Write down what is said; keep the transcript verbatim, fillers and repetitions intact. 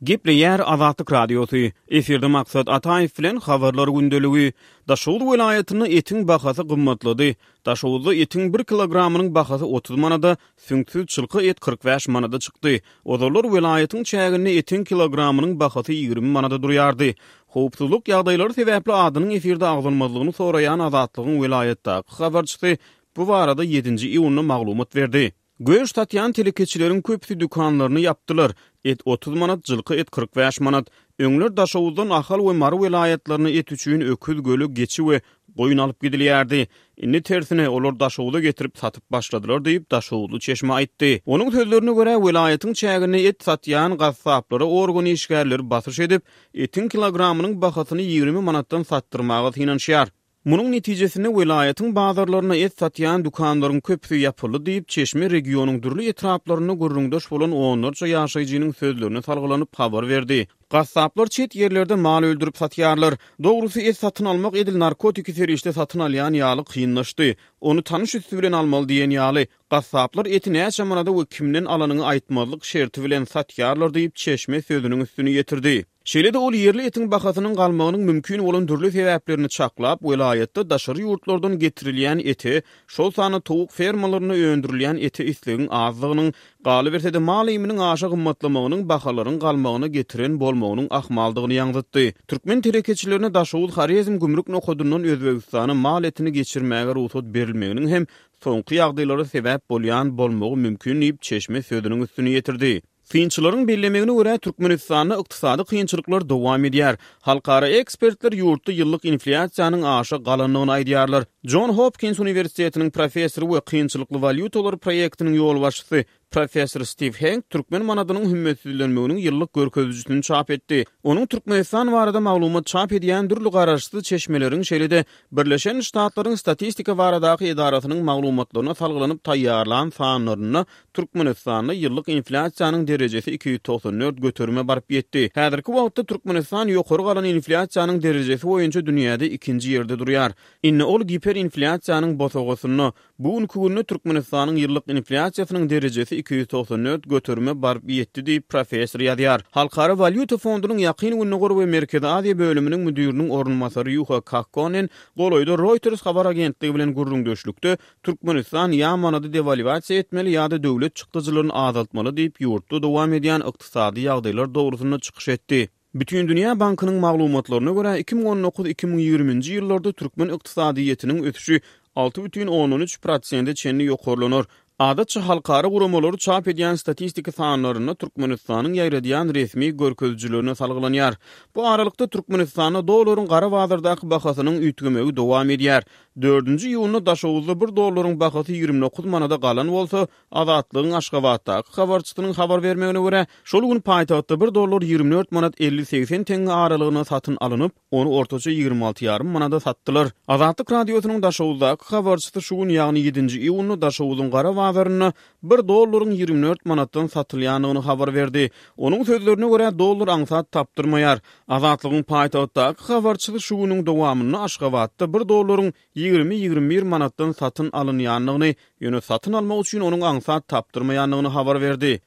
Gepleýär Azatlyk Radiosy. Efirde Maksat Ataýew bilen Habarlar gündeligi. Daşoguz welaýatynda etiň bahasy gymmatlady. Daşoguzda etiň bir kilogramynyň bahasy otuz manada, süňksüz çylka et kyrk bäş manada çykdy. Ozallar welaýatyň çäginde etiň kilogramynyň bahasy ýigrimi manada durýardy. Howpsuzlyk ýagdaýlary sebäpli adynyň efirde agzalmazlygyny soraýan Azatlygyň welaýatdaky habarçysy bu barada ýedinji iýunda maglumat berdi. Göş satýan telekeçileriň köpüsi dükanlaryny ýapdylar. Et otuz manat, jylky et kyrk bäş manat. Öňler Daşoguzdan Ahal we Mary welaýatlaryna et üçin öküz, göle, geçi we goýun alyp gidilýärdi. Indi tersine, olar Daşoguza getirip satyp başladylar diýip, daşoguzly çeşme aýtdy. Onuň sözlerine görä, welaýatyň çäginde et satýan gassaplara organ işgärleri basyş edip, etiň kilogramynyň bahasyny ýigrimi manatdan satdyrmaga synanyşýar. Munuň netijesinde welaýatyň bazarlarynda et satýan dükanlaryň köpüsi ýapyldy diýip, çeşme regionyň dürli etraplarynda gürrüňdeş bolan onlarça ýaşaýjynyň sözlerine salgylanyp habar berdi. Gassaplar çet ýerlerde mal öldürip satýarlar. Dogrusy, et satyn almak edil narkotiki serişde satyn alýan ýaly kynlaşdy. Ony tanyş üsti bilen almaly diýen ýaly. Gassaplar eti näçe manada we kimden alanyňy aýtmazlyk şerti bilen satýarlar diýip, çeşme sözüniň üstüni ýetirdi. Şeýle-de ol ýerli etiň bahasynyň galmagynyň mümkin bolan dürli sebäplerini çaklap, welaýatda daşary ýurtlardan getirilýän ete, şol sanda towuk fermalarynda öndürilýän ete islegiň azdygynyň, galyberse-de mal iýminiň aşa gymmatlamagynyň bahalaryň galmagyna getiren bolmagynyň ahmaldygyny ýaňzytdy. Türkmen telekeçilerine Daşoguz-Horezm gümrük nokadyndan Özbegistana mal etini geçirmäge rugsat berilmeginiň hem soňky ýagdaýlara sebäp bolýan bolmagy mümkin diýip, çeşme sözüniň üstüni ýetirdi. Synçylaryň bellemegine görä, Türkmenistanda ykdysady kynçylyklar dowam edýär. Halkara ekspertler ýurtda ýyllyk inflýasiýanyň aşa galandygyny aýdýarlar. Jon Hopkins uniwersitetiniň professory we kynçylykly walýutalar proýektiniň ýolbaşçysy professor Stiw Henk türkmen manadynyň hümmetsizlenmeginiň ýyllyk görkezijisini çap etdi. Onuň Türkmenistan barada maglumat çap edýän dürli garaşsyz çeşmeleriň, şeýle-de Birleşen Ştatlaryň Statistika baradaky edarasynyň maglumatlaryna salgylanyp taýýarlan sanlarynda Türkmenistanda ýyllyk inflýasiýanyň derejesi iki ýüz togsan dört göterime baryp ýetdi. Häzirki wagtda Türkmenistan ýokary galan inflýasiýanyň derejesi boýunça dünýäde ikinji ýerde durýar. Indi ol giperinflýasiýanyň bosagasynda. Bu günki günde Türkmenistanyň ýyllyk inflýasiýasynyň derejesi iki ýüz togsan dört göterime baryp ýetdi diýip, professor ýazýar. Halkara walýuta fondunyň Ýakyn Gündogar we Merkezi Aziýa bölüminiň müdiriniň orunbasary Ýuha Kakkonen golaýda Reuters habar agentligi bilen gürrüňdeşlikde Türkmenistan ýa manady dewalwasiýa etmeli ýa-da döwlet çykdajylaryny azaltmaly diýip, ýurtda dowam edýän ykdysady ýagdaýlar dogrusynda çykyş etdi. Bütindünýä bankynyň maglumatlaryna görä, iki müň on dokuz iki müň ýigriminji ýyllarda türkmen ykdysadyýetiniň ösüşi alty bütin ondan üç prosente çenli ýokarlanar. Adatça halkara guramalary çap edýän statistiki sanlarynda Türkmenistanyň ýaýradýan resmi görkezijilerine salgylanýar. Bu aralykda Türkmenistanda dollaryň gara bazardaky bahasynyň üýtgemegi dowam edýär. Dördünji iýunda Daşoguzda bir dollaryň bahasy ýigrimi dokuz manada galan bolsa, Azatlygyň Aşgabatdaky habarçysynyň habar bermegine görä, şol gün paýtagtda bir dollar ýigrimi dört manat elli-segsen teňňe aralygyna satyn alnyp, ony ortaça ýigrimi alty ýarym manada satdylar. Azatlyk Radiosynyň Daşoguzdaky habarçysy şu gün, ýagny ýedinji iýunda Daşoguzyň gara bazarynda bir dollaryň ýigrimi dört manatdan satylýandygyny habar berdi. Onuň sözlerine görä, dollar aňsat tapdyrmaýar. Azatlygyň paýtagtdaky habarçysy şu günüň dowamynda Aşgabatda bir dollaryň ýigrimi-ýigrimi bir manatdan satyn alynýandygyny, ýöne satyn almak üçin onuň aňsat tapdyrmaýandygyny habar berdi.